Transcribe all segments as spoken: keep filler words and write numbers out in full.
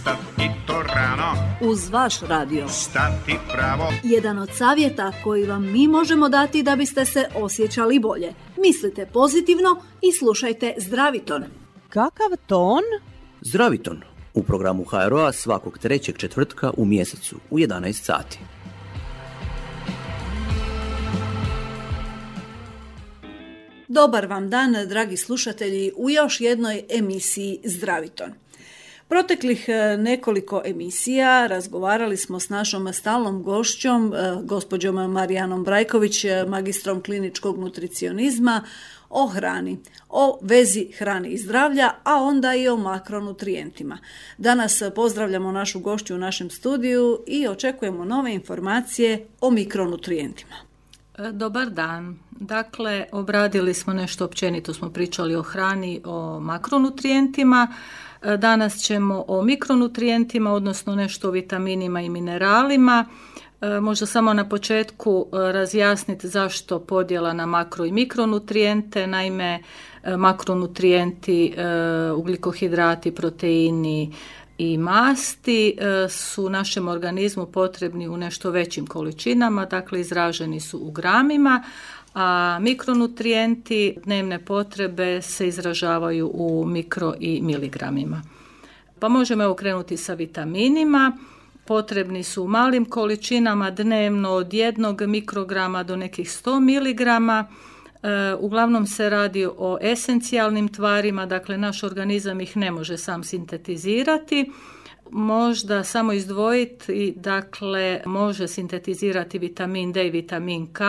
Ustati to rano, uz vaš radio. stati pravo. Jedan od savjeta koji vam mi možemo dati da biste se osjećali bolje. Mislite pozitivno i slušajte Zdraviton. Kakav ton? Zdraviton u programu H R O-a svakog trećeg četvrtka u mjesecu u jedanaest sati. Dobar vam dan, dragi slušatelji, u još jednoj emisiji Zdraviton. Proteklih nekoliko emisija razgovarali smo s našom stalnom gošćom, gospođom Marijanom Brajković, magistrom kliničkog nutricionizma, o hrani, o vezi hrane i zdravlja, a onda i o makronutrijentima. Danas pozdravljamo našu gošću u našem studiju i očekujemo nove informacije o mikronutrijentima. Dobar dan. Dakle, obradili smo nešto općenito, smo pričali o hrani, o makronutrijentima. Danas ćemo o mikronutrijentima, odnosno nešto o vitaminima i mineralima. Možda samo na početku razjasniti zašto podjela na makro i mikronutrijente. Naime, makronutrijenti, ugljikohidrati, proteini i masti su našem organizmu potrebni u nešto većim količinama, dakle izraženi su u gramima, a mikronutrijenti, dnevne potrebe, se izražavaju u mikro i miligramima. Pa možemo evo krenuti sa vitaminima. Potrebni su u malim količinama dnevno od jednog mikrograma do nekih sto miligrama. E, uglavnom se radi o esencijalnim tvarima, dakle naš organizam ih ne može sam sintetizirati. Možda samo izdvojiti, dakle može sintetizirati vitamin D i vitamin K,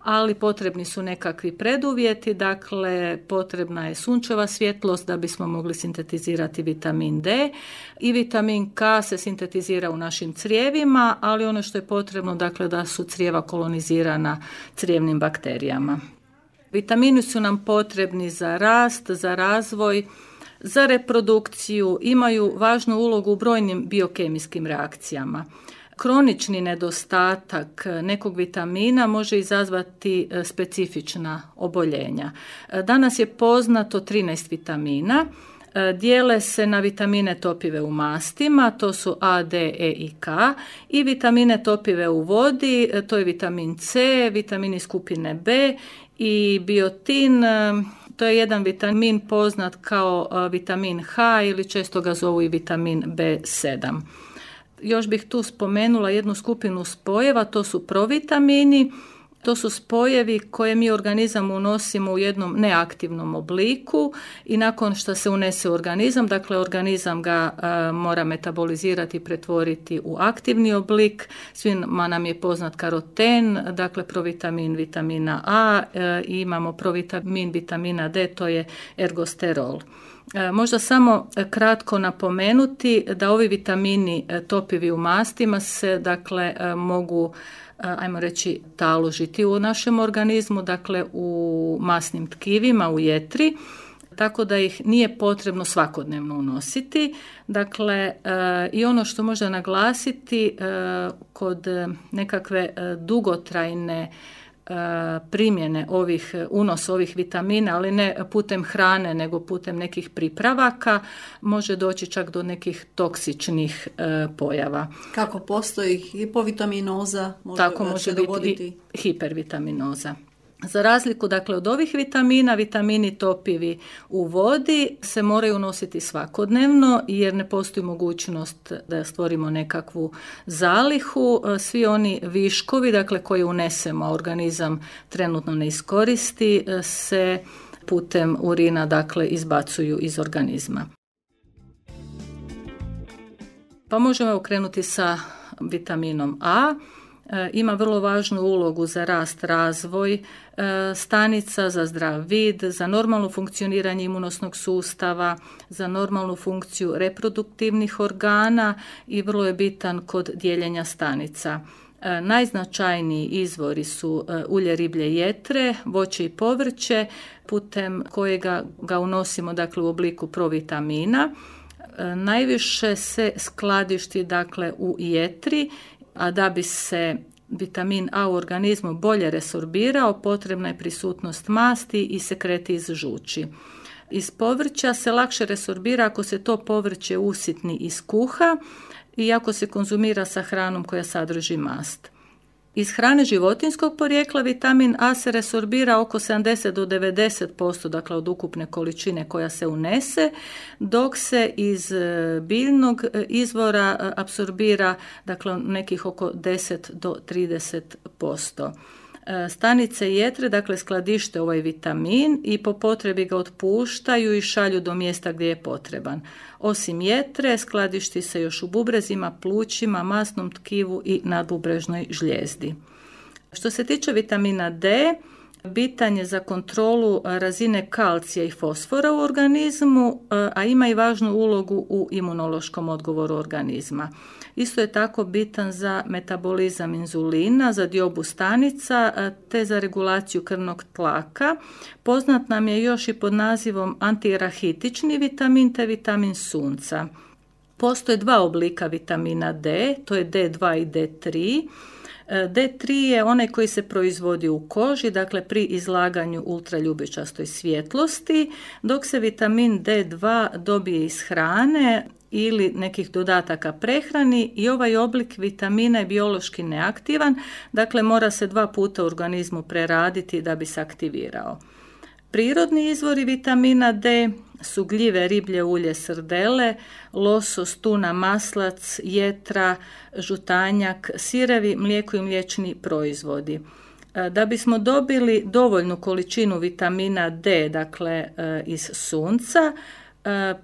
ali potrebni su nekakvi preduvjeti, dakle potrebna je sunčeva svjetlost da bismo mogli sintetizirati vitamin D i vitamin K se sintetizira u našim crijevima, ali ono što je potrebno, dakle da su crijeva kolonizirana crijevnim bakterijama. Vitamini su nam potrebni za rast, za razvoj, za reprodukciju, imaju važnu ulogu u brojnim biokemijskim reakcijama. Kronični nedostatak nekog vitamina može izazvati specifična oboljenja. Danas je poznato trinaest vitamina. Dijele se na vitamine topive u mastima, to su A, D, E i K, i vitamine topive u vodi, to je vitamin C, vitamini skupine B i biotin. To je jedan vitamin poznat kao vitamin H ili često ga zovu i vitamin B sedam. Još bih tu spomenula jednu skupinu spojeva, to su provitamini. To su spojevi koje mi organizam unosimo u jednom neaktivnom obliku i nakon što se unese u organizam, dakle organizam ga a, mora metabolizirati i pretvoriti u aktivni oblik. Svima nam je poznat karoten, dakle provitamin vitamina A a, i imamo provitamin vitamina D, to je ergosterol. E, možda samo kratko napomenuti da ovi vitamini topivi u mastima se dakle mogu, ajmo reći, taložiti u našem organizmu, dakle u masnim tkivima, u jetri, tako da ih nije potrebno svakodnevno unositi. Dakle, e, i ono što možda naglasiti e, kod nekakve e, dugotrajne primjene ovih, unos ovih vitamina, ali ne putem hrane, nego putem nekih pripravaka, može doći čak do nekih toksičnih e, pojava. Kako postoji hipovitaminoza, može Tako može može dogoditi biti i hipervitaminoza. Za razliku dakle od ovih vitamina, vitamini topivi u vodi se moraju unositi svakodnevno jer ne postoji mogućnost da stvorimo nekakvu zalihu. Svi oni viškovi dakle koje unesemo, a organizam trenutno ne iskoristi, se putem urina dakle izbacuju iz organizma. Pa možemo krenuti sa vitaminom A. Ima vrlo važnu ulogu za rast, razvoj stanica, za zdrav vid, za normalno funkcioniranje imunosnog sustava, za normalnu funkciju reproduktivnih organa i vrlo je bitan kod dijeljenja stanica. Najznačajniji izvori su ulje riblje jetre, voće i povrće, putem kojega ga unosimo dakle u obliku provitamina. Najviše se skladišti dakle u jetri, a da bi se vitamin A u organizmu bolje resorbirao, potrebna je prisutnost masti i sekreti iz žuči. iz povrća se lakše resorbira ako se to povrće usitni i skuha i ako se konzumira sa hranom koja sadrži mast. Iz hrane životinjskog porijekla vitamin A se resorbira oko sedamdeset do devedeset posto, dakle od ukupne količine koja se unese, dok se iz biljnog izvora apsorbira dakle nekih oko deset do trideset posto. Stanice jetre, dakle, skladište ovaj vitamin i po potrebi ga otpuštaju i šalju do mjesta gdje je potreban. Osim jetre, skladišti se još u bubrezima, plućima, masnom tkivu i nadbubrežnoj žlijezdi. Što se tiče vitamina D, bitan je za kontrolu razine kalcija i fosfora u organizmu, a ima i važnu ulogu u imunološkom odgovoru organizma. Isto je tako bitan za metabolizam inzulina, za diobu stanica te za regulaciju krvnog tlaka. Poznat nam je još i pod nazivom antirahitični vitamin te vitamin sunca. Postoje dva oblika vitamina D, to je D dva i D tri. D tri je onaj koji se proizvodi u koži, dakle pri izlaganju ultraljubičastoj svjetlosti, dok se vitamin D dva dobije iz hrane ili nekih dodataka prehrani i ovaj oblik vitamina je biološki neaktivan, dakle mora se dva puta u organizmu preraditi da bi se aktivirao. Prirodni izvori vitamina D su gljive, riblje ulje, srdele, losos, tuna, maslac, jetra, žutanjak, sirevi, mlijeko i mliječni proizvodi. Da bismo dobili dovoljnu količinu vitamina D, dakle iz sunca,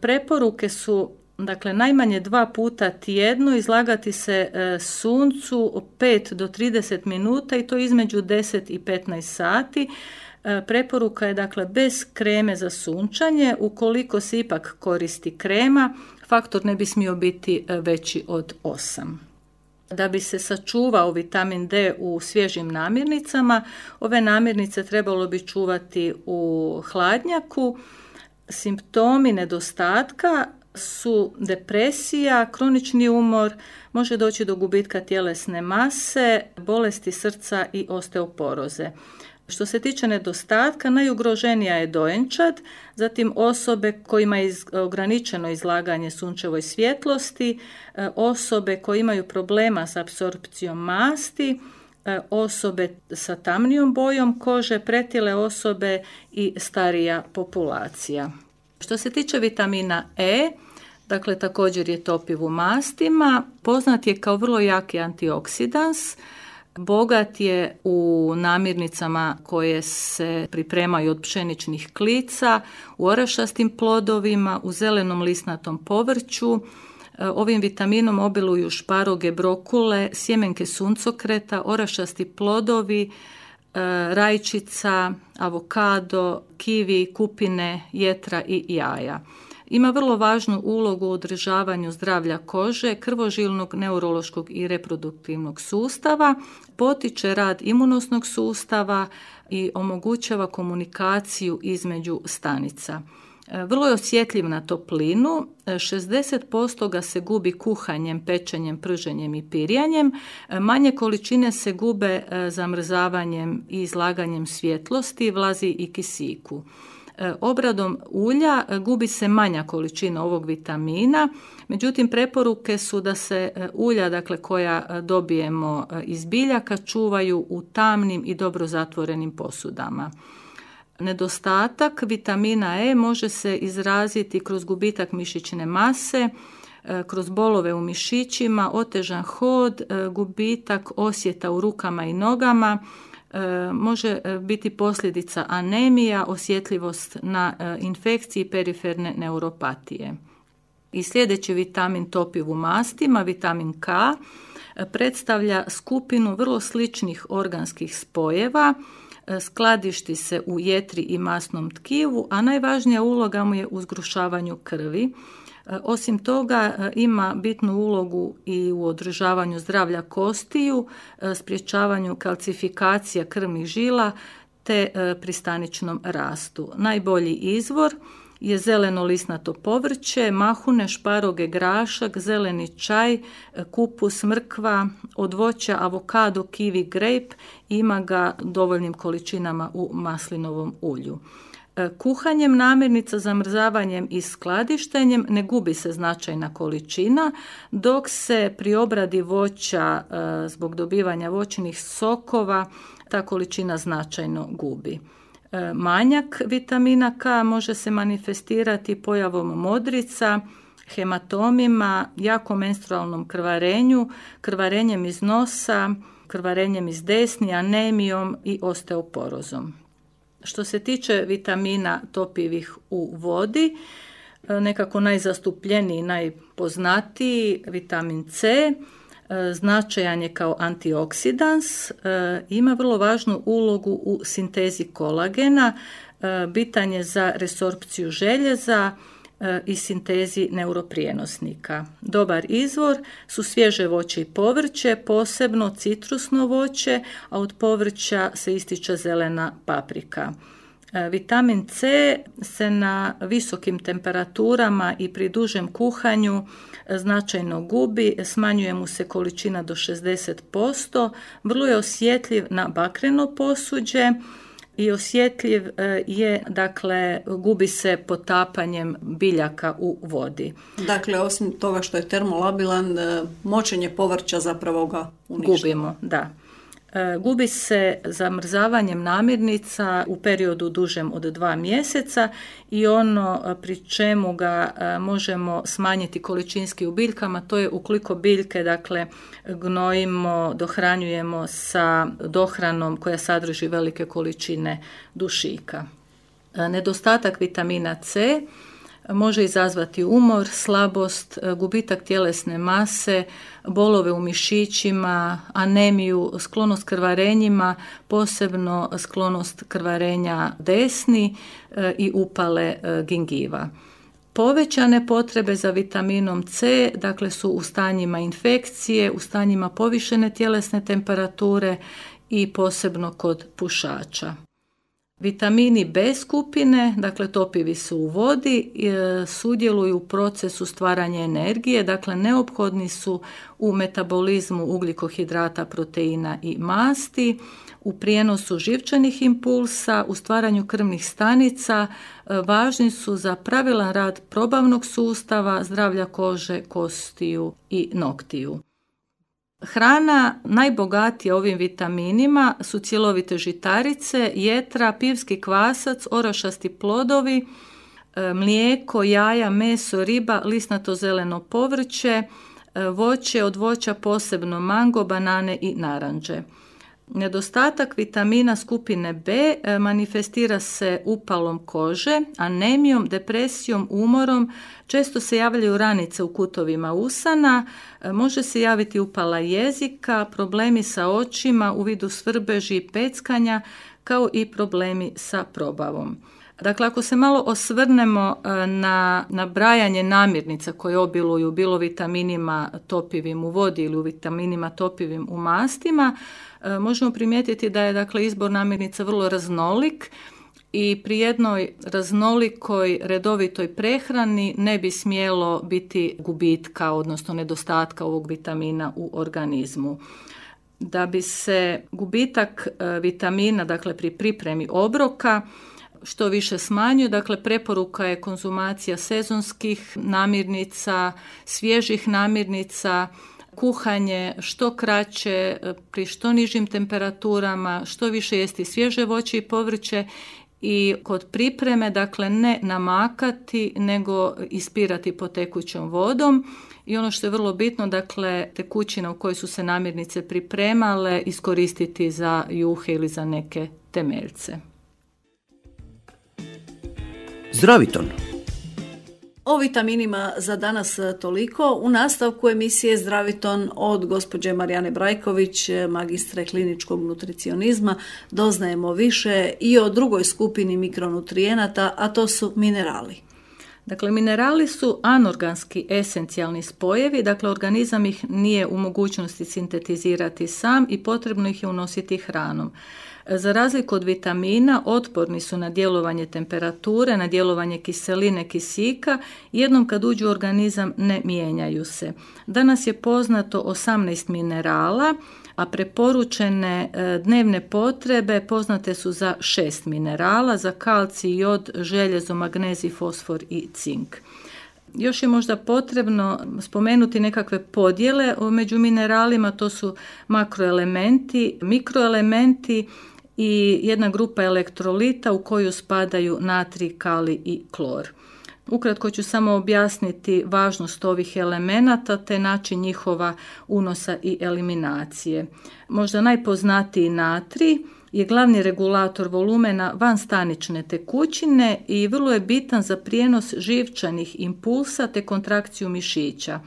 preporuke su dakle najmanje dva puta tjedno izlagati se suncu pet do trideset minuta i to između deset i petnaest sati. Preporuka je dakle bez kreme za sunčanje. Ukoliko se ipak koristi krema, faktor ne bi smio biti veći od osam. Da bi se sačuvao vitamin D u svježim namirnicama, ove namirnice trebalo bi čuvati u hladnjaku. Simptomi nedostatka su depresija, kronični umor, može doći do gubitka tjelesne mase, bolesti srca i osteoporoze. Što se tiče nedostatka, najugroženija je dojenčad, zatim osobe kojima je ograničeno izlaganje sunčevoj svjetlosti, osobe koje imaju problema s apsorpcijom masti, osobe sa tamnijom bojom kože, pretile osobe i starija populacija. Što se tiče vitamina E, dakle također je topiv u mastima, poznat je kao vrlo jaki antioksidans, bogat je u namirnicama koje se pripremaju od pšeničnih klica, u orašastim plodovima, u zelenom lisnatom povrću. Ovim vitaminom obiluju šparoge, brokule, sjemenke suncokreta, orašasti plodovi, rajčica, avokado, kivi, kupine, jetra i jaja. Ima vrlo važnu ulogu u održavanju zdravlja kože, krvožilnog, neurološkog i reproduktivnog sustava, potiče rad imunosnog sustava i omogućava komunikaciju između stanica. Vrlo je osjetljiv na toplinu, šezdeset posto ga se gubi kuhanjem, pečenjem, prženjem i pirjanjem, manje količine se gube zamrzavanjem i izlaganjem svjetlosti, vlazi i kisiku. Obradom ulja gubi se manja količina ovog vitamina, međutim preporuke su da se ulja, dakle, koja dobijemo iz biljaka, čuvaju u tamnim i dobro zatvorenim posudama. Nedostatak vitamina E može se izraziti kroz gubitak mišićne mase, kroz bolove u mišićima, otežan hod, gubitak osjeta u rukama i nogama, može biti posljedica anemija, osjetljivost na infekcije i periferne neuropatije. I sljedeći vitamin topiv u mastima, vitamin K, predstavlja skupinu vrlo sličnih organskih spojeva, skladišti se u jetri i masnom tkivu, a najvažnija uloga mu je u zgrušavanju krvi. Osim toga ima bitnu ulogu i u održavanju zdravlja kostiju, sprječavanju kalcifikacija krvnih žila te pri staničnom rastu. Najbolji izvor je zeleno lisnato povrće, mahune, šparoge, grašak, zeleni čaj, kupus, mrkva, od voća avokado, kiwi, grape, ima ga dovoljnim količinama u maslinovom ulju. Kuhanjem namirnica, zamrzavanjem i skladištenjem ne gubi se značajna količina, dok se pri obradi voća zbog dobivanja voćnih sokova ta količina značajno gubi. Manjak vitamina K može se manifestirati pojavom modrica, hematomima, jakom menstrualnom krvarenju, krvarenjem iz nosa, krvarenjem iz desni, anemijom i osteoporozom. Što se tiče vitamina topivih u vodi, nekako najzastupljeniji, najpoznatiji vitamin C, značajan je kao antioksidans, ima vrlo važnu ulogu u sintezi kolagena, bitan je za resorpciju željeza i sintezi neuroprijenosnika. Dobar izvor su svježe voće i povrće, posebno citrusno voće, a od povrća se ističe zelena paprika. Vitamin C se na visokim temperaturama i pri dužem kuhanju značajno gubi, smanjuje mu se količina do šezdeset posto, vrlo je osjetljiv na bakreno posuđe i osjetljiv je, dakle, gubi se potapanjem biljaka u vodi. Dakle, osim toga što je termolabilan, močenje povrća zapravo ga uništava. Gubimo, da. Gubi se zamrzavanjem namirnica u periodu dužem od dva mjeseca i ono pri čemu ga možemo smanjiti količinski u biljkama, to je ukoliko biljke, dakle, gnojimo, dohranjujemo sa dohranom koja sadrži velike količine dušika. Nedostatak vitamina C može izazvati umor, slabost, gubitak tjelesne mase, bolove u mišićima, anemiju, sklonost krvarenjima, posebno sklonost krvarenja desni i upale gingiva. Povećane potrebe za vitaminom C, dakle, su u stanjima infekcije, u stanjima povišene tjelesne temperature i posebno kod pušača. Vitamini B skupine, dakle topivi su u vodi, sudjeluju u procesu stvaranja energije, dakle neophodni su u metabolizmu ugljikohidrata, proteina i masti, u prijenosu živčanih impulsa, u stvaranju krvnih stanica, važni su za pravilan rad probavnog sustava, zdravlja kože, kostiju i noktiju. Hrana najbogatija ovim vitaminima su cjelovite žitarice, jetra, pivski kvasac, orašasti plodovi, mlijeko, jaja, meso, riba, lisnato zeleno povrće, voće, od voća posebno mango, banane i naranđe. Nedostatak vitamina skupine B manifestira se upalom kože, anemijom, depresijom, umorom, često se javljaju ranice u kutovima usana, može se javiti upala jezika, problemi sa očima u vidu svrbeži i peckanja, kao i problemi sa probavom. Dakle, ako se malo osvrnemo na nabrajanje namirnica koje obiluju bilo vitaminima topivim u vodi ili u vitaminima topivim u mastima, možemo primijetiti da je, dakle, izbor namirnica vrlo raznolik i pri jednoj raznolikoj redovitoj prehrani ne bi smjelo biti gubitka, odnosno nedostatka ovog vitamina u organizmu. Da bi se gubitak vitamina, dakle, pri pripremi obroka što više smanjuje, dakle, preporuka je konzumacija sezonskih namirnica, svježih namirnica, kuhanje što kraće, pri što nižim temperaturama, što više jesti svježe voće i povrće i kod pripreme, dakle, ne namakati nego ispirati pod tekućom vodom. I ono što je vrlo bitno, dakle, tekućina u kojoj su se namirnice pripremale iskoristiti za juhe ili za neke temeljce. Zdraviton. O vitaminima za danas toliko. U nastavku emisije Zdraviton od gospođe Marijane Brajković, magistre kliničkog nutricionizma, doznajemo više i o drugoj skupini mikronutrijenata, a to su minerali. Dakle, minerali su anorganski esencijalni spojevi, dakle organizam ih nije u mogućnosti sintetizirati sam i potrebno ih je unositi hranom. Za razliku od vitamina, otporni su na djelovanje temperature, na djelovanje kiseline, kisika, jednom kad uđu u organizam ne mijenjaju se. Danas je poznato osamnaest minerala, a preporučene dnevne potrebe poznate su za šest minerala, za kalcij, jod, željezo, magnezij, fosfor i cink. Još je možda potrebno spomenuti nekakve podjele među mineralima, to su makroelementi, mikroelementi i jedna grupa elektrolita u koju spadaju natrij, kalij i klor. Ukratko ću samo objasniti važnost ovih elemenata te način njihova unosa i eliminacije. Možda najpoznatiji natrij je glavni regulator volumena vanstanične tekućine i vrlo je bitan za prijenos živčanih impulsa te kontrakciju mišića.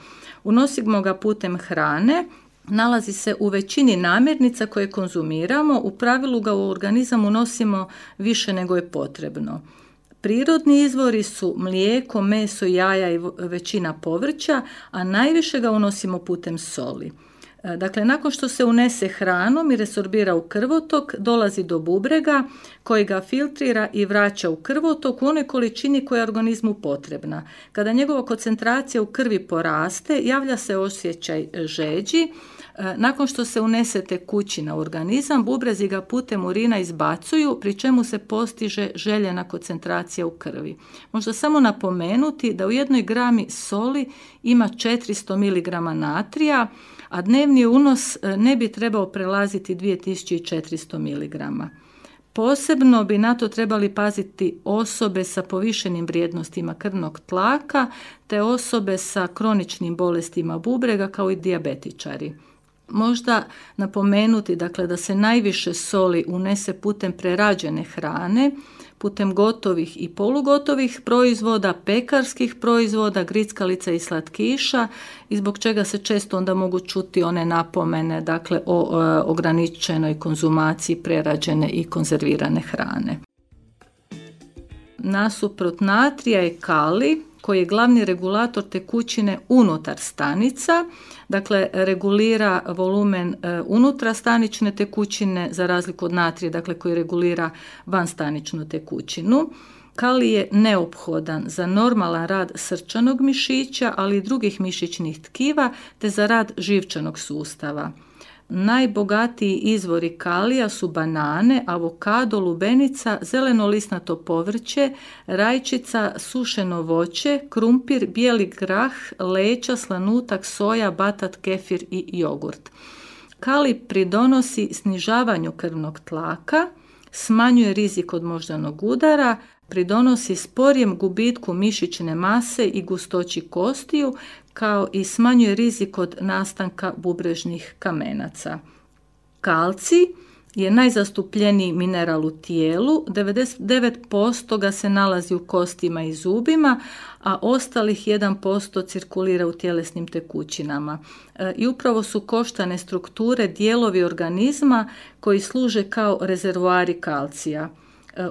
Unosimo ga putem hrane, nalazi se u većini namirnica koje konzumiramo, u pravilu ga u organizam unosimo više nego je potrebno. Prirodni izvori su mlijeko, meso, jaja i većina povrća, a najviše ga unosimo putem soli. Dakle, nakon što se unese hranom i resorbira u krvotok, dolazi do bubrega koji ga filtrira i vraća u krvotok u onoj količini koja je organizmu potrebna. Kada njegova koncentracija u krvi poraste, javlja se osjećaj žeđi. Nakon što se unese tekućina u organizam, bubrezi ga putem urina izbacuju, pri čemu se postiže željena koncentracija u krvi. Možda samo napomenuti da u jednoj grami soli ima četiristo miligrama natrija, a dnevni unos ne bi trebao prelaziti dvije tisuće četiristo miligrama. Posebno bi na to trebali paziti osobe sa povišenim vrijednostima krvnog tlaka te osobe sa kroničnim bolestima bubrega kao i dijabetičari. Možda napomenuti dakle, da se najviše soli unese putem prerađene hrane, putem gotovih i polugotovih proizvoda, pekarskih proizvoda, grickalica i slatkiša i zbog čega se često onda mogu čuti one napomene dakle, o e, ograničenoj konzumaciji prerađene i konzervirane hrane. Nasuprot natrija je kalij koji je glavni regulator tekućine unutar stanica, dakle regulira volumen e, unutrastanične tekućine za razliku od natrija, dakle koji regulira vanstaničnu tekućinu. Kalij je neophodan za normalan rad srčanog mišića, ali i drugih mišićnih tkiva, te za rad živčanog sustava. Najbogatiji izvori kalija su banane, avokado, lubenica, zeleno-lisnato povrće, rajčica, sušeno voće, krumpir, bijeli grah, leća, slanutak, soja, batat, kefir i jogurt. Kalij pridonosi snižavanju krvnog tlaka, smanjuje rizik od moždanog udara, pridonosi sporijem gubitku mišićne mase i gustoći kostiju, kao i smanjuje rizik od nastanka bubrežnih kamenaca. Kalcij je najzastupljeniji mineral u tijelu, devedeset devet posto ga se nalazi u kostima i zubima, a ostalih jedan posto cirkulira u tjelesnim tekućinama. E, I upravo su koštane strukture dijelovi organizma koji služe kao rezervoari kalcija.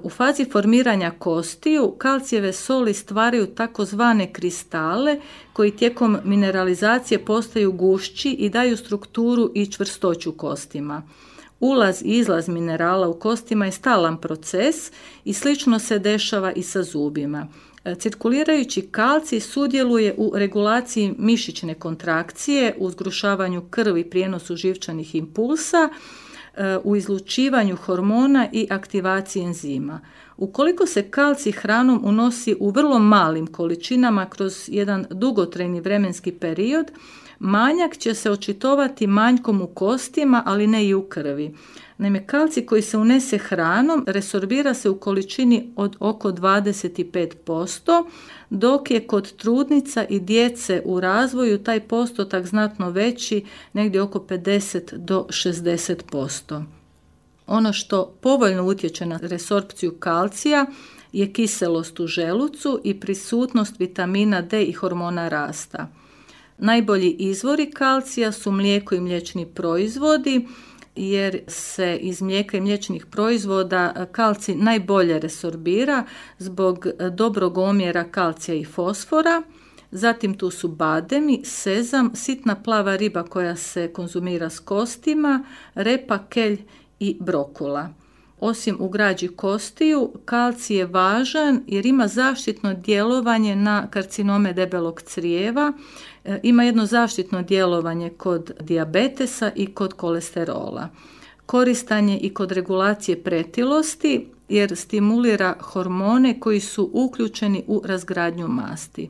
U fazi formiranja kostiju kalcijeve soli stvaraju takozvane kristale koji tijekom mineralizacije postaju gušći i daju strukturu i čvrstoću kostima. Ulaz i izlaz minerala u kostima je stalan proces i slično se dešava i sa zubima. Cirkulirajući kalcij sudjeluje u regulaciji mišićne kontrakcije, u zgrušavanju krvi i prijenosu živčanih impulsa, u izlučivanju hormona i aktivaciji enzima. Ukoliko se kalcij hranom unosi u vrlo malim količinama kroz jedan dugotrajni vremenski period, manjak će se očitovati manjkom u kostima, ali ne i u krvi. Naime, kalcij koji se unese hranom resorbira se u količini od oko dvadeset pet posto, dok je kod trudnica i djece u razvoju taj postotak znatno veći, negdje oko pedeset do šezdeset posto. Ono što povoljno utječe na resorpciju kalcija je kiselost u želucu i prisutnost vitamina D i hormona rasta. Najbolji izvori kalcija su mlijeko i mliječni proizvodi, jer se iz mlijeka i mliječnih proizvoda kalcij najbolje resorbira zbog dobrog omjera kalcija i fosfora. Zatim tu su bademi, sezam, sitna plava riba koja se konzumira s kostima, repa, kelj i brokula. Osim u građi kostiju, kalcij je važan jer ima zaštitno djelovanje na karcinome debelog crijeva, ima jedno zaštitno djelovanje kod dijabetesa i kod kolesterola. Koristan je i kod regulacije pretilosti jer stimulira hormone koji su uključeni u razgradnju masti.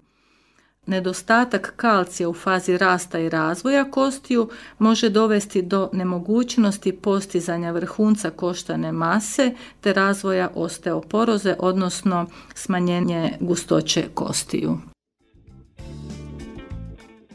Nedostatak kalcija u fazi rasta i razvoja kostiju može dovesti do nemogućnosti postizanja vrhunca koštane mase te razvoja osteoporoze, odnosno smanjenje gustoće kostiju.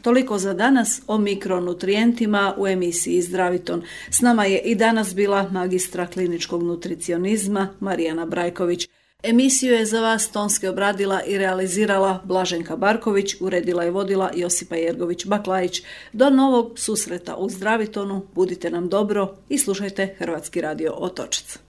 Toliko za danas o mikronutrijentima u emisiji Zdraviton. S nama je i danas bila magistra kliničkog nutricionizma Marijana Brajković. Emisiju je za vas tonski obradila i realizirala Blaženka Barković, uredila i vodila Josipa Jergović-Baklajić. Do novog susreta u Zdravitonu, budite nam dobro i slušajte Hrvatski radio Otočac.